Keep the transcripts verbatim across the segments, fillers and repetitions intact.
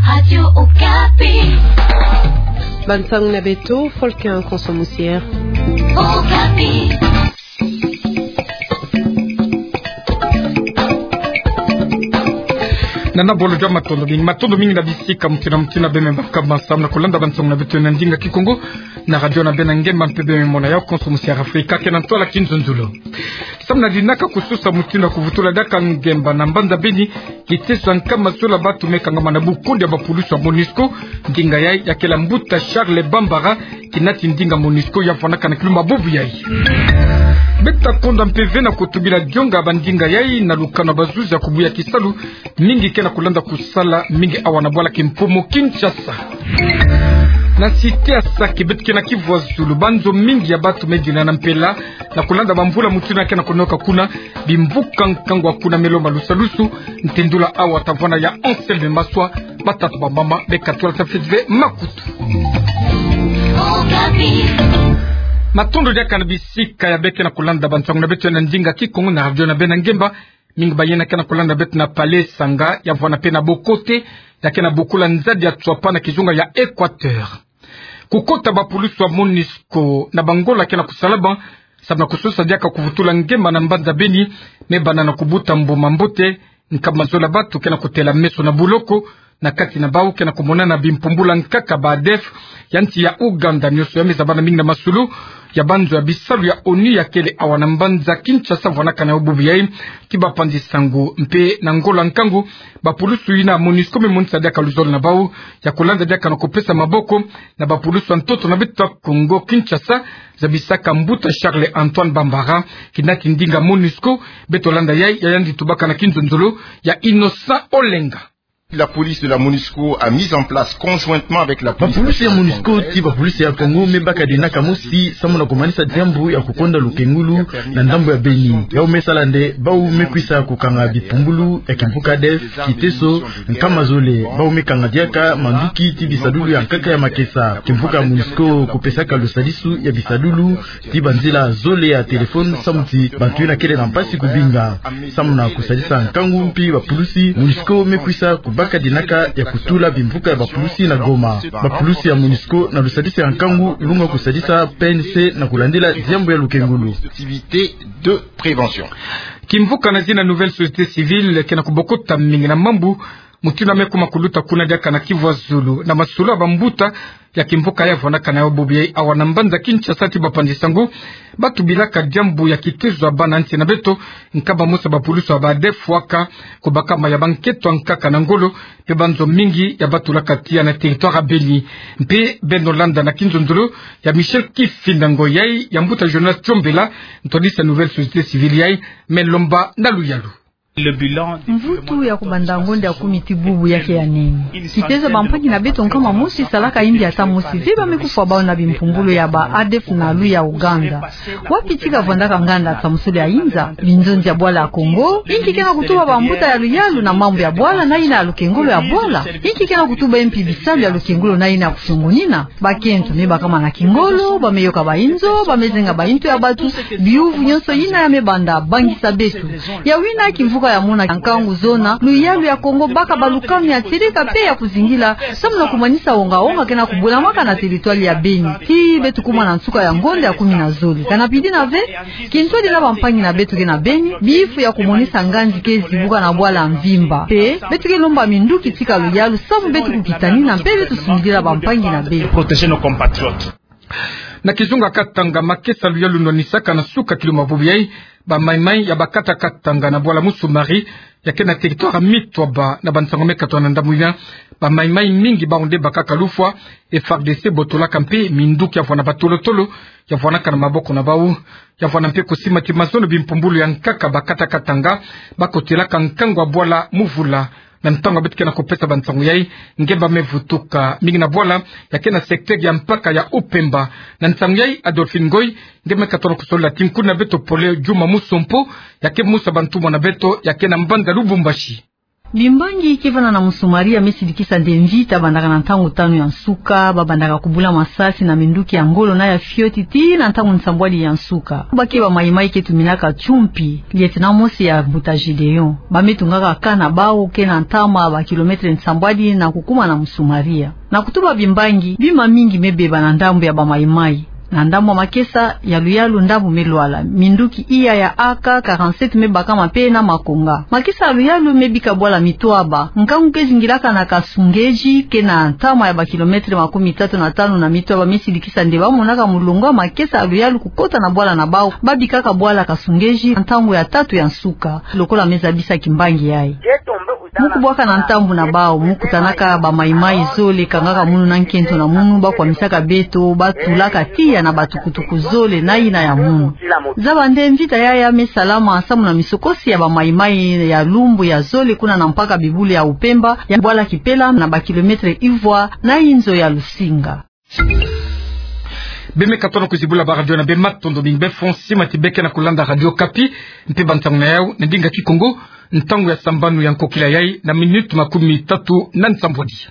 Radio Okapi. Bansangu na beto, Folkin Konso Musier. Okapi. Nana bolo jwa matondo mingi, matondo mingi na bisika mutindu na mutindu beno me baka masamu na kulanda bansangu na beto na ndinga Kikongo na radio na beno na ngemba mpe beno me mona yayi Konso Musier Afrika, ke na ntwala kinzonzolo. Samu na dinaka kususa mutindu ya kuvutula diaka ngemba na mbanza Beni, kiteso ya nkama zola bantu me kangama na bukundi ya bapulusu ya MONUSCO, ndinga yayi ya kela mbuta Charles Bambara, kinati ndinga MONUSCO ya vwanaka na kilumbu bubu yayi. Beta konda mpe ve na kutubila dionga ya bandinga yayi na lukanu ya bazuzi ya kubuya kisalu, mingi ke na kulanda kusala mingi awa na bwala Kimpumu Kinshasa. Na cité ya Sake beto ke na Kivu ya zulu, banzo mingi ya bantu me dina na mpela na kulanda bamvula mutindu ke na kunoka kuna, bimvuka nkangu ya kuna me lomba lusadusu. Ntendula awa ta vwanda ya Anselme Maswa, batata bamama, beka tula ta fete ve makutu. Matondo diaka na bisika ya beno ke na kulanda bansangu na beto na ndinga Kikongo na radio na beno na ngemba. Mingi ba yina ke na kulanda beto na Palais Sanga, ya vwanda mpe na Bokote, ya ke na bokula nzadi ya Tswapa na kizunga ya Equateur. Kukota bapulusu ya MONUSCO na bangola ke na kusalama samu na kususa diaka kuvutula ngemba na mbanza Beni, me banda na kubuta mbuma mbote, nkama zola bantu ke na kutela meso na boloko, na kati na bawu ke na kumonana bimpumbulu ya nkaka ba ADF ya nsi ya Ouganda. Nionso yayi me zabana mingi na masolo ya banzo ya bisalu ya ONU ya kele awa na mbanza Kinshasa vwanaka na yo bubu yayi. Ti bapanzi sango mpe na ngola nkangu, bapulusu yina MONUSCO me monisa diaka luzolo na bawu ya kulanda diaka na kupesa maboko na bapulusu ya ntoto na beto ya Kongo Kinshasa, zabisaka mbuta Charles Antoine Bambara, kinati ndinga MONUSCO. Beto landa yayi, ya yandi tubaka na kinzonzolo ya Innocent Olenga. La police de la MONUSCO a mis en place conjointement avec la police nationale congolaise. Bapulusu ya MONUSCO ti bapulusu ya Kongo me baka dinaka mosi samu na kumanisa diambu ya kukonda lukengulu na ndambu ya Beni. Yawu me sala nde bawu me kwisa kukanga bipumbulu ya kimvuka ADF, kiteso, nkama zole, bawu me kanga diaka manduki ti bisadulu ya nkaka ya makesa. Kimvuka MONUSCO kupesaka lusadisu ya bisadulu ti banzila zole ya téléphone samu ti bantu yina kele na mpasi kubinga. Samu na kusadisa nkangu mpi bapulusu, MONUSCO me kwisa kubaka dinaka ya kutula bimvuka ya bapulusu na Goma. Bapulusu ya MONUSCO na lusadisu ya nkangu lunga kusadisa PNC na kulandila diambu ya lukengulu. Kimvuka na zina Nouvelle Société Civile ke na kubokota mingi na mambu mutindu me kuma kuluta kuna diaka na Kivu ya zulu, na masolo ya bambuta ya kimvuka ya vwanaka na yo bubu yayi awa na mbanza Kinshasa ti bapanzi sango. Batubilaka diambu ya kitezo ya bana nsi na beto, nkama mosi ya bapulusu ya ba ADF waka kubaka ma ya banketo ya nkaka na ngolo, mpe banzo mingi ya batulaka tiya na territoire ya Beni. Mpe beno landa na kinzonzolo ya Michel Kifinda, ngoi yayi ya mbuta Jonas Tiombela, ntwadisi ya Nouvelle Société Civile yayi, me lomba na luyalu. Mvutu ya kubanda ngonda ya kumi ti bubu ya ke ya nene. Kitezo ya bampangi na beto nkama mosi salaka yingi ata mosi ve ba me kufwa bawu na bimpumbulu ya ba ADF na lu ya Ouganda. Wapi ti kavwandaka nganda samusulu ya inza? Binzonzi ya bwala ya Kongo. Inki ke na kutuba bambuta ya luyalu na mambu ya bwala na yina ya lukengulu ya bwala? Inki ke na kutuba mpi bisalu ya lukengulu na yina ya kufiongonina? Bakento me bakama na kingolo, ba me yoka bayinzo, ba me zenga bayintu ya bantu, biyuvu nionso yina ya me banda bangisa beto. Ya wina kimvuka ya mona nkangu zona luyalu ya Kongo baka balukanu ya tieleka mpe ya kuzingila, samu na kumanisa onga-onga ke na kubulamaka na territoire ya Beni. Ti beto kuma na nsuka ya ngonda ya kumi na zole. Kana pidi na ve, kintwadi na bampangi na beto ke na Beni, bifu ya kumonisa nganzi ke zibuka na bwala mvimba. Mpe beto ke lomba minduki tika luyalu samu beto kukitanina mpe beto sundila bampangi na beto. Na kizunga Katanga, makesa luyalu nwanisaka na suka kilumbu bubu yayi ba maimai ya ba kata Katanga na bwala Musumari, ya ke na territoire Mitwaba. Na bansango me katoka na ndambu yina, ba maimai mingi bawu nde bakaka lufwa. F R D C botolaka mpe minduki ya vwanda batolo-tolo ya vwandaka na maboko na bawu, ya vwanda mpe kusima ti mazono bimpumbulu ya nkaka ba kata Katanga bakotelaka nkangu ya bwala Muvula. Na ntangu beto ke na kupesa bansango yayi, ngemba me vutuka mingi na bwala ya ke na secteur ya mpaka ya Upemba. Na nsango yayi, Adolphine Ngoy nge me katoka kusolola ti nkuna beto pole Djuma Musompo, ya ke mosi ya bantumwa na beto ya ke na mbanza Lubumbashi. Bimbangi ke vanda na Moussa Maria me silikisa nde mvita bandaka na ntangu tanu ya nsuka, ba bandaka kubula masasi na minduki ya ngolo na ya fioti tii na ntangu nsambwadi ya nsuka. Ba ke ba Mai-Mai ke tuminaka Tchumpi, lieutenant mosi ya mbuta Gédéon. Ba me tungaka camp na bawu ke na ntama ba kilometre nsambwadi na kukuma na Moussa Maria. Na kutuba bimbangi, bima mingi me beba na ndambu ya ba Mai-Mai. Na ndambu ya makesa ya luyalu ndambu me lwala. Minduki iya ya A K quarante-sept me bakama mpe na makonga. Makesa ya luyalu me bika bwala Mitwaba. Nkangu ke zingilaka na Kasungezi, ke na ntama ya ba kilometre makumi tatu na tanu na Mitwaba, me silikisa nde ba monaka mulongo ya makesa ya luyalu kukota na bwala na bawu, ba bikaka bwala Kasungezi ntangu ya tatu ya nsuka, lokola me zabisa kimbangi yayi. Mu kubwaka na ntambu na bawu, mu kutanaka ba Mai-Mai zole, kangaka munu na nkento na munu, ba kwamisaka beto, ba tulaka tiya na ba tukutuku zole na yina ya munu. Zaba nde mvita yaya me salama samu na misokosi ya ba Mai-Mai ya lumbu ya zole kuna na mpaka bibulu ya Upemba, ya bwala Kipela na ba kilometre ivwa na inzo ya Lusinga. Be me katono kuzibula ba radio na be, matondo mingi. Be fo sima ti be ke na kulanda Radio Okapi, mpe ba ntangu na yau na ndinga Kikongo, ntangu ya sambanu ya nkokila yayi na minute makumi tatu na nsambwadi.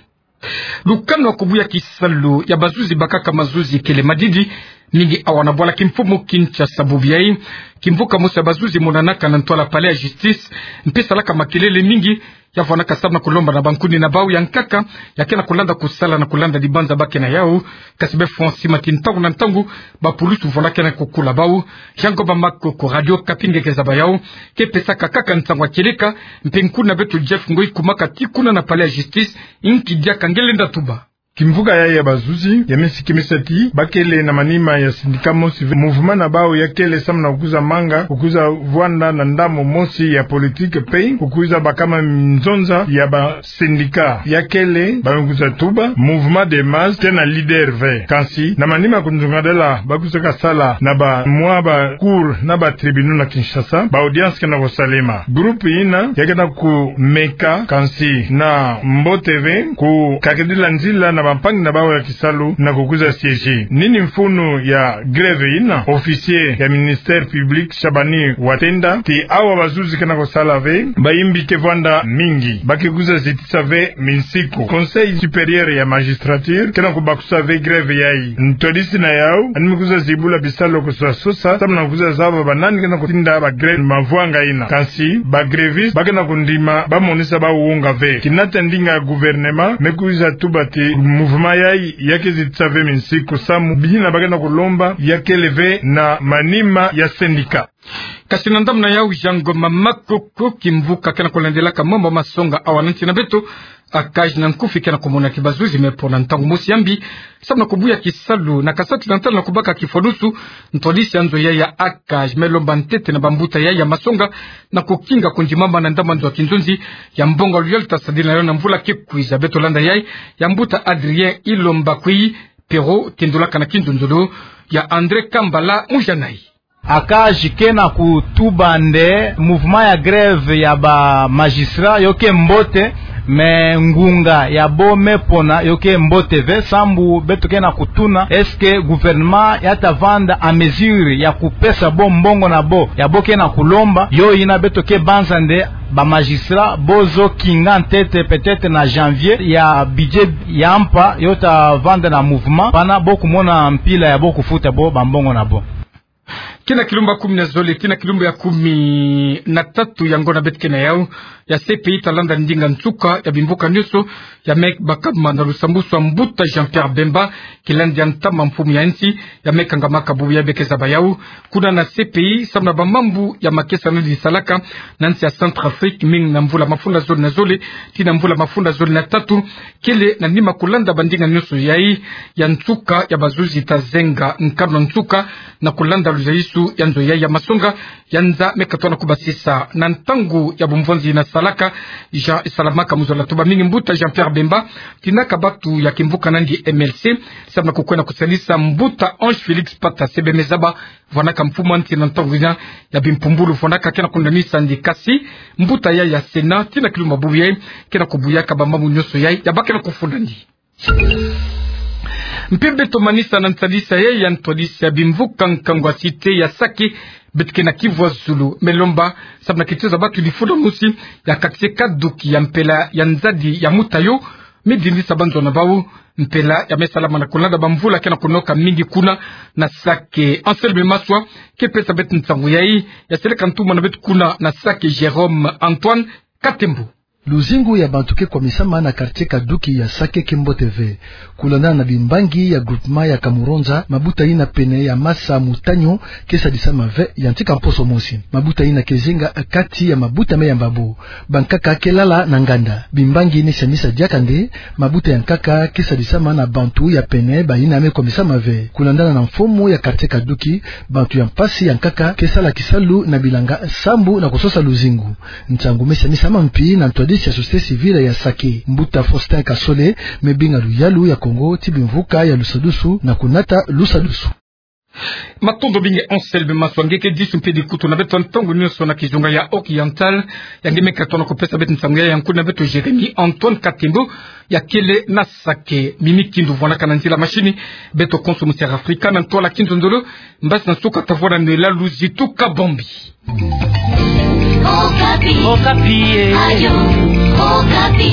Lukanu ya kubuya kisalu ya bazuzi bakaka mazuzi kele madidi mingi awa na bwala kimfumu Kinshasa bubu yayi. Kimvuka mosi ya bazuzi monanaka na ntwala palais ya justice, mpe salaka makelele mingi, ya vwandaka samu na kulomba na bankuni na bawu ya nkaka ya ke na kulanda kusala na kulanda dibanza ba ke na yau. Kasi be fo sima ti ntangu na ntangu, ba pulusu vwandaka na kukula bawu. Jean Goba Makoko, Radio Okapi, nge ke zaba yau, ke pesaka kaka nsangu ya kieleka, mpe nkuni na beto Jeff Ngoi kumaka tii kuna na palais ya justice, nki diaka nge lenda tuba. Kimvuka yayi ya bazuzi ya me sikimisa ti ba kele na manima ya syndicat mosi ve. Mouvement na bawu ya kele samu na kukwiza manga, kukwiza vwanda na ndambu mosi ya politique mpe kukwiza bakama nzonza ya ba syndicat. Ya kele ba me kwiza tuba mouvement de masse, ke na leader ve. Kansi na manima kunzungadala ba kwizaka sala na ba mwa ba cour na ba tribunaux na Kinshasa, ba audience ke na kusalema. Groupe yina ya ke na kumeka, kansi na mbote ve, kukakidila nzila na bampangi na bawu ya kisalu na kukwiza siéger. Nini mfunu ya grève yina? Officier ya ministère public Shabani Watenda ti awa bazuzi ke na kusala ve, bayimbi ke vwanda mingi, ba ke kwiza zitisa ve minsiku. Conseil supérieur ya magistrature ke na kubakusa ve grève yayi. Ntwadisi na yau, yandi me kwiza zibula bisalu kusosa sosa samu na kwiza zaba banani ke na kutinda ba grève mavwanga yina. Kansi ba grévistes ba ke na kundima, ba monisa bawu wonga ve. Kina ta ndinga ya gouvernement me kwiza tuba ti mouvement yayi ya ke zitisa ve minsiku samu biyina ba ke na kulomba ya kele ve na manima ya syndicat. Kasi na ndambu na yau, Jean Ngoma Makoko, kimvuka ke na kulandelaka mambu masonga awa na nsi na beto, ACAJ na nkufi ke na kumona ti bazuzi me pona ntangu mosi ya mbi samu na kubuya kisalu na Kasai Occidental na kubaka kifwanusu. Ntwadisi ya nzo yayi ya ACAJ me lomba ntete na bambuta yayi ya masonga na kukinga kundimama na ndambu ya nzo ya kinzonzi ya mbongo ya luyalu ta sadila na yo na mvula ke kwiza. Beto landa yayi ya mbuta Adrien Ilomba Kwi Pero, tendulaka na kinzonzolo ya André Kambala Mujanai. ACAJ ke na kutuba nde mouvement ya grève ya ba magistrat yo ke mbote, mais ngunga ya bo me pona yo ke mbote ve, sambu beto ke na kutuna, est-ce que gouvernement ya ta vanda en mesure ya kupesa bo mbongo na bo ya bo ke na kulomba? Yo yina beto ke banza nde ba magistrat bo zo kinga ntete, peut-être na janvier, ya budget ya mpa yo ta vanda na mouvement, pana bo kumona mpila ya bo kufuta bo bambongo na bo. Kina kilumbu ya kumi na zole tii na kilumbu ya kumi na tatu ya ngonda beto ke na yau, ya C P I ta landa ndinga nsuka ya bimvuka nyonso ya me bakama na lusambusu ya mbuta Jean-Pierre Bemba, kilandi ya ntama mfumu ya nsi, ya me kangamaka bubu yayi be ke zaba yau. Kuna na C P I, samu na bamambu ya makesa nani salaka na nsi ya Centrafrique, mingi na mvula mafunda zole na zole tii na mvula mafunda zole na tatu, kele na nima kulanda bandinga nyonso yayi ya nsuka ya bazuzi ta zenga nkanu ya nsuka na kulanda luzayisu ya nzo yayi ya masonga ya nza me katono kubasisa. Na ntangu ya bumvonzi na salaka, Jean Salamaka Muzola, tuba mingi mbuta Jean-Pierre Bemba, tinaka batu ya kimvuka nandi M L C, samu na kukwenda kusalisa mbuta Ange Félix Pata Sebe, me zaba vwanaka mfumu a nsi na ntangu yina ya bimpumbulu, vwanaka ke na kundanisa ndi. Kasi mbuta yayi ya Sénat, tii na kilumbu ya bubu yayi, ke na kubuyaka bamambu nyonso yayi ya ba ke na kufunda ndi. Mpe beto manisa na nsadisa ya, ya ntwadisi ya bimvuka nkangu ya site ya Sake, beto ke na Kivu ya Zulu. Melomba, samu na kitiza batu difula mosi ya quartier Kaduki ya mpela ya nzadi ya Mutayo, midindisa banzona bau, mpela ya me salama na kulanda bamvula ke na kunoka mingi kuna na Sake. Anselme Maswa ke pesa beto nsangu yayi, ya seleka ntumwa na beto kuna na Sake Jérôme Antoine Katembo. Luzingu ya bantu ke kwamisama na quartier Kaduki ya Sake ke mbote ve. Kulandana na bimbangi ya groupement ya Kamuronza, mabuta yina pene ya Masa Mutanyo ke sadisama ve, ya ntika mposo mosi. Mabuta yina ke zenga kati ya mabuta me yamba bo. Bankaka ke lala na nganda. Bimbangi ni samisa diaka nde, mabuta ya nkaka ke sadisama na bantu ya pene bayina me kwamisama ve. Kulandana na mfumu ya quartier Kaduki, bantu ya mpasi ya nkaka ke sala kisalu na bilanga sambu na kusosa luzingu. Nsangu me samisama mpi na ntwadisi ya société civile ya Sake. Mbuta Faustin Kasole me binga luyalu ya Kongo ti bimvuka ya lusadusu na kunata lusadusu. Matondo mingi Anselme Maswa. Nge ke disu mpe dikutu na beto ntangu nionso na kizunga ya Oriental, ya nge me katuka na kupesa beto nsangu ya nkutu na beto Jérémie Antoine Katembo, ya kele na Sake. Mimi Kindu vwanaka na nzila machine, beto konso mu Sierra Africa, na ntwala Kinzonzolo, mbasi na nsuka ta vwanda nwela luzitu kabambi. Okapi. Okapi, eh. Ayo, Okapi.